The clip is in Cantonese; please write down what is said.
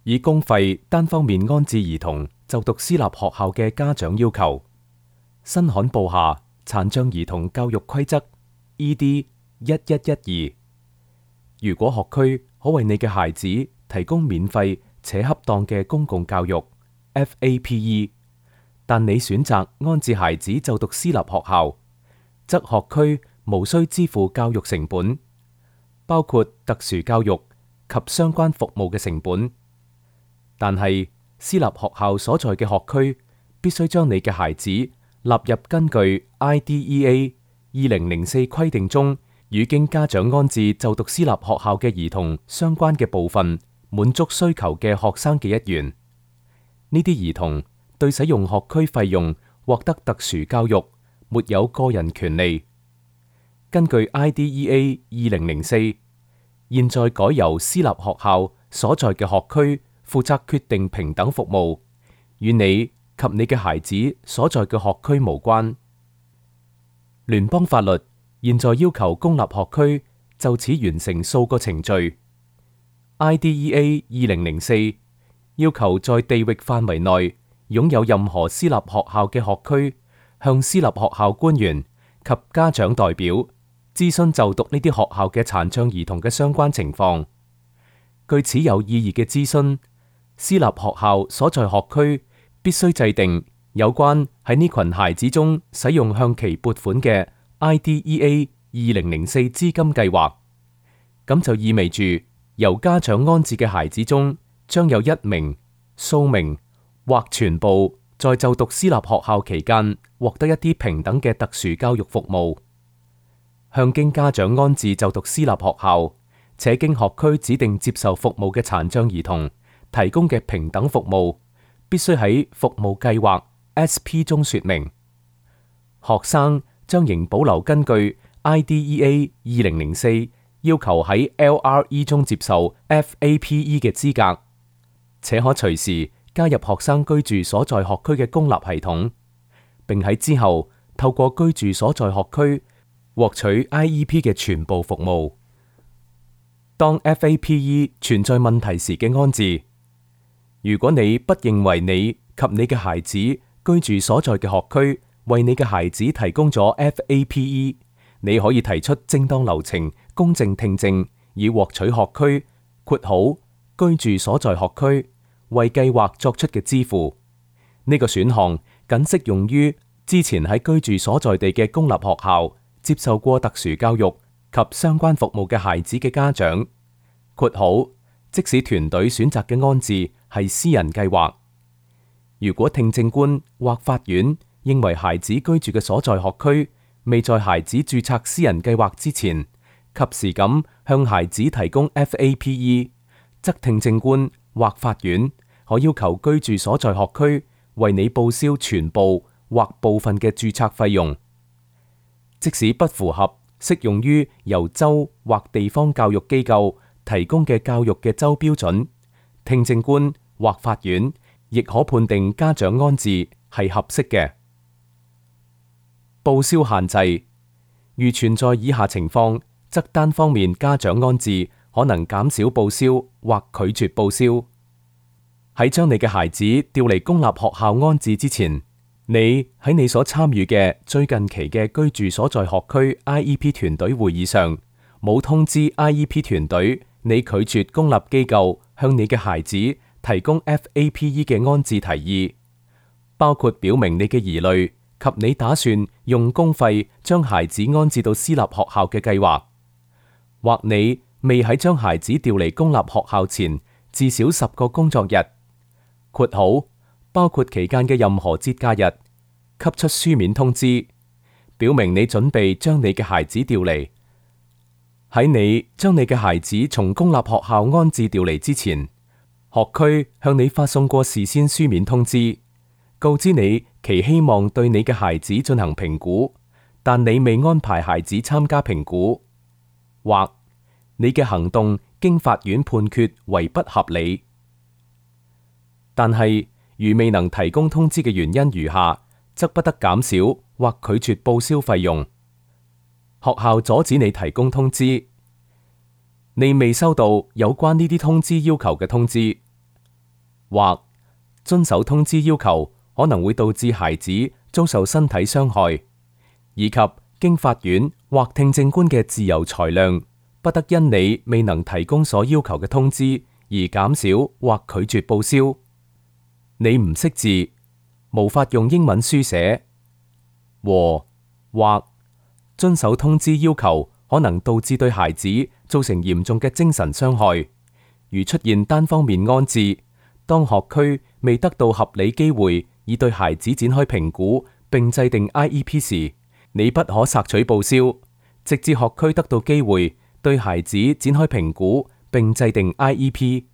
以公費單方面安置兒童就讀私立學校嘅家長要求，新刊報下殘障兒童教育規則 ED1112。如果學區可為你嘅孩子提供免費且恰當嘅公共教育 FAPE， 但你選擇安置孩子就讀私立學校，則學區無需支付教育成本，包括特殊教育及相關服務嘅成本。但係私立學校所在嘅學區必須將你嘅孩子納入根據 IDEA 2004規定中與經家長安置就讀私立學校嘅兒童相關嘅部分滿足需求嘅學生嘅一員。呢啲兒童對使用學區費用獲得特殊教育沒有個人權利。根據 IDEA 2004，現在改由私立學校所在嘅學區負責決定平等服務，與你及你嘅孩子所在嘅學區無關。聯邦法律現在要求公立學區就此完成數個程序。IDEA 2004要求在地域範圍內擁有任何私立學校嘅學區向私立學校官員及家長代表諮詢就讀呢啲學校嘅殘障兒童嘅相關情況。據此有意義嘅諮詢，私立學校所在學區必須制定有關喺呢群孩子中使用向其撥款嘅 IDEA 2004資金計劃。咁就意味住由家長安置嘅孩子中將有1名、數名或全部在就讀私立學校期間獲得一啲平等嘅特殊教育服務。向經家長安置就讀私立學校且經學區指定接受服務嘅殘障兒童提供嘅平等服務，必須喺服務計劃 SP 中說明。學生將仍保留根據 IDEA 2004要求喺 LRE 中接受 FAPE 嘅資格，且可隨時加入學生居住所在學區嘅公立系統，並喺之後透過居住所在學區獲取 IEP 嘅全部服務。當 FAPE 存在問題時嘅安置，如果你不認為你及你嘅孩子居住所在嘅學區為你嘅孩子提供咗 FAPE， 你可以提出正當流程公正聽證，以獲取學區括號居住所在學區為計劃作出嘅支付。呢個選項僅適用於之前喺居住所在地嘅公立學校接受過特殊教育及相關服務嘅孩子嘅家長括號，即使團隊選擇嘅安置係私人計劃。如果聽證官或法院認為孩子居住嘅所在學區未在孩子註冊私人計劃之前及時咁向孩子提供 FAPE， 則聽證官或法院可要求居住所在學區為你報銷全部或部分嘅註冊費用。即使不符合適用於由州或地方教育機構提供嘅教育嘅州標準，聽證官或法院亦可判定家長安置係合適嘅。報銷限制，如存在以下情況，則單方面家長安置可能減少報銷或拒絕報銷。喺將你嘅孩子調離公立學校安置之前，你喺你所參與嘅最近期嘅居住所在學區 IEP 團隊會議上，冇通知 IEP 團隊你拒絕公立機構向你嘅孩子提供 FAPE 嘅安置提議，包括表明你嘅疑慮及你打算用公費將孩子安置到私立學校嘅計劃，或你未喺將孩子調離公立學校前至少10個工作日括號包括期間嘅任何節假日，給出書面通知，表明你準備將你嘅孩子調離。喺你將你嘅孩子從公立學校安置調離之前，學區向你發送過事先書面通知，告知你其希望對你嘅孩子進行評估，但你未安排孩子參加評估，或你嘅行動經法院判決為不合理。但係如未能提供通知嘅原因如下，則不得減少或拒絕報銷費用。學校阻止你提供通知，你未收到有關呢啲通知要求嘅通知，或遵守通知要求可能會導致孩子遭受身體傷害，以及經法院或聽證官嘅自由裁量，不得因你未能提供所要求嘅通知而減少或拒絕報銷。你唔識字，無法用英文書寫，和或遵守通知要求可能導致對孩子造成嚴重嘅精神傷害，如出現單方面安置，當學區未得到合理機會以對孩子展開評估並制定 IEP 時，你不可索取報銷，直至學區得到機會對孩子展開評估並制定 IEP。